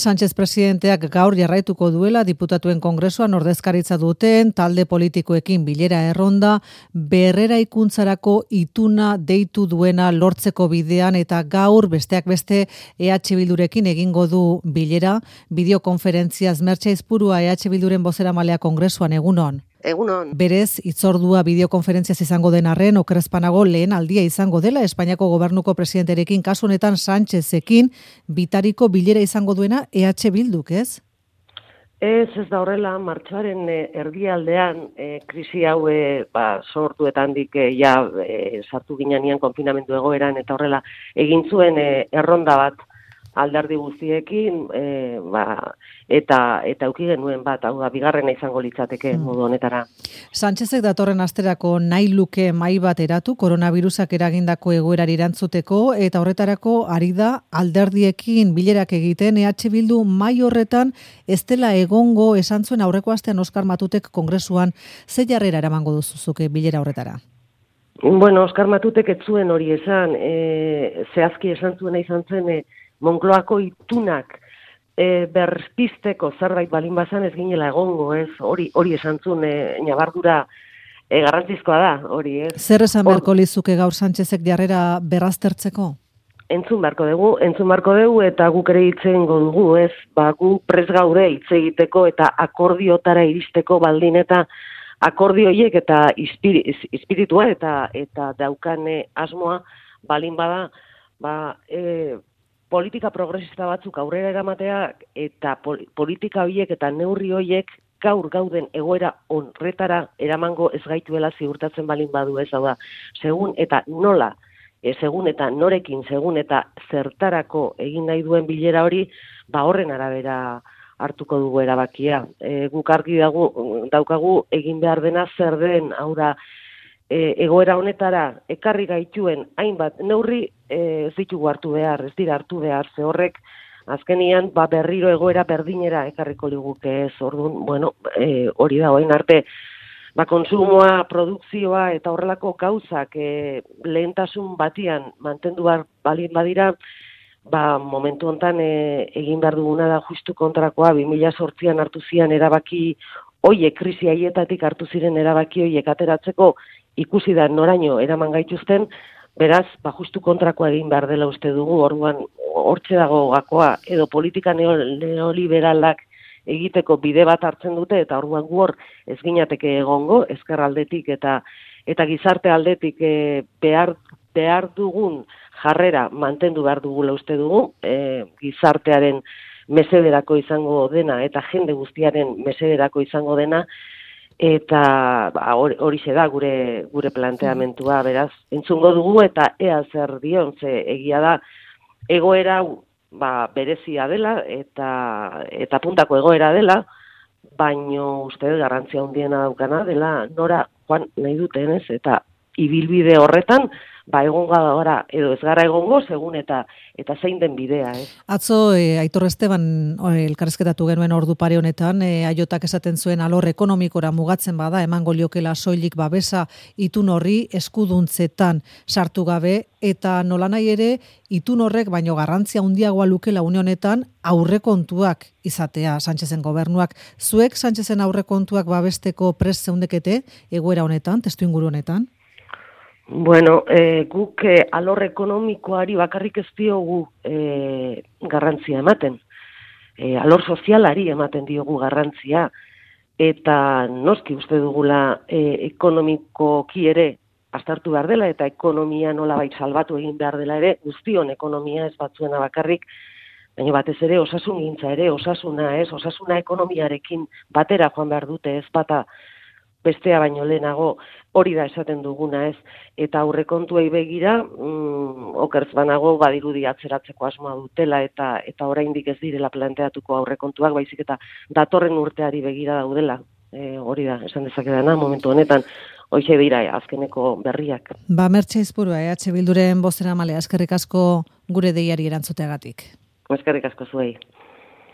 Sánchez presidenteak gaur jarraituko duela diputatuen kongresuan ordezkaritza duten talde politikoekin bilera erronda berreraikuntzarako ituna deitu duena lortzeko bidean eta gaur besteak beste EH Bildurekin egingo du bilera. Bideokonferentziaz Mertxe Aizpurua EH Bilduren bozeramalea kongresuan egunon. Egunon. Berez, hitzordua bideokonferentziaz izango den arren, okerrezpanago lehen aldia izango dela Espainiako gobernuko presidenterekin, kasu honetan Sánchezekin, bitariko bilera izango duena EH Bilduk, ez? Ez da horrela, martxoaren erdialdean, krisi hau sortuetandik sartu ginean konfinamendu egoeran, eta horrela egin zuen erronda bat alderdi guztiekin, eta euki genuen bat, hau da, bigarrena izango litzateke modu honetara. Sánchezek datorren asterako nahi luke mahai bat eratu, koronavirusak eragindako egoerari erantzuteko, eta horretarako ari da alderdiekin bilerak egiten, EH Bildu mahai horretan ez dela egongo esan zuen aurreko astean Oskar Matutek kongresuan, ze jarrera eramango duzuzuke bilera horretara? Bueno, Oskar Matutek ez zuen hori esan, zehazki esan zuena izan zen, Moncloako itunak berpisteko zerbait balin bazan ez ginela egongo, ez? Hori esan zuen ñabardura garrantzizkoa da, hori, ez? Zer esan beharko lizuke gaur Sánchezek jarrera berraztertzeko? Entzun beharko dugu eta guk ere hitz egingo dugu, ez? Gu prest gaude hitz egiteko eta akordiotara iristeko baldin eta akordio horiek eta espiritua eta daukan asmoa baldin bada, politika progresista batzuk aurrera eramatea eta politika horiek eta neurri horiek gaur gauden egoera horretara eramango ez gaituela ziurtatzen balin badu, ez da, segun eta nola, segun eta norekin, segun eta zertarako egin nahi duen bilera hori, horren arabera hartuko dugu erabakia. Guk argi daukagu egin behar dena zer den, hau da, egoera honetara ekarri gaituen hainbat neurri ez ditugu hartu behar, ez dira hartu behar, ze horrek azkenian berriro egoera berdinera ekarriko liguke ez, orduan, hori da, orain arte, kontsumoa, produkzioa eta horrelako gauzak lehentasun batian mantendu balin badira, momentu hontan egin behar duguna da justu kontrakoa, 2008an hartu zian erabaki hoiek, krisi haietatik hartu ziren erabaki hoiek ateratzeko ikusi da noraino eraman gaituzten, beraz, justu kontrakoa egin behar dela uste dugu, orduan hortxe dago gakoa, edo politika neoliberalak egiteko bide bat hartzen dute, eta orduan gu hor ez ginateke egongo, ezker aldetik eta gizarte aldetik behar dugun jarrera mantendu behar dugula uste dugu, gizartearen mesederako izango dena, eta jende guztiaren mesederako izango dena, eta hori da gure planteamentua, beraz, entzungo dugu eta ea zer dion, ze egia da, egoera berezia dela eta puntako egoera dela, baino uste garrantzia handiena daukana dela nora joan nahi duten, ez, eta ibilbide horretan, egongo gara, edo ez gara egongo, segun eta zein den bidea, ez? Atzo, Aitor Esteban elkarrizketatu genuen ordu pare honetan, Aiotak esaten zuen alor ekonomikora mugatzen bada, emango liokela soilik babesa itun horri eskuduntzetan sartu gabe, eta nolanahi ere, itun horrek baino garrantzia handiagoa lukela une honetan aurrekontuak izatea Sánchezen gobernuak. Zuek Sánchezen aurrekontuak babesteko prest zeundekete egoera honetan, testuinguru honetan? Bueno, guk alor ekonomikoari bakarrik ez diogu garrantzia ematen. Alor sozialari ematen diogu garrantzia. Eta noski uste dugula ekonomikoki ere aztertu behar dela eta ekonomia nolabait salbatu egin behar dela ere, guztion ekonomia ez batzuena bakarrik, baina batez ere osasungintza ere, osasuna ekonomiarekin batera joan behar dute ez bata bestea baino lehenago, hori da esaten duguna ez, eta aurrekontuei begira, okertz banago badirudi atzeratzeko asmoa dutela eta oraindik ez direla planteatuko aurrekontuak, baizik eta datorren urteari begira daudela, hori da, esan dezakedana, momentu honetan, hoxe dira azkeneko berriak. Mertxe Aizpurua, EH Bilduren bozeramalea, eskerrik asko gure deiari erantzuteagatik. Eskerrik asko zuei.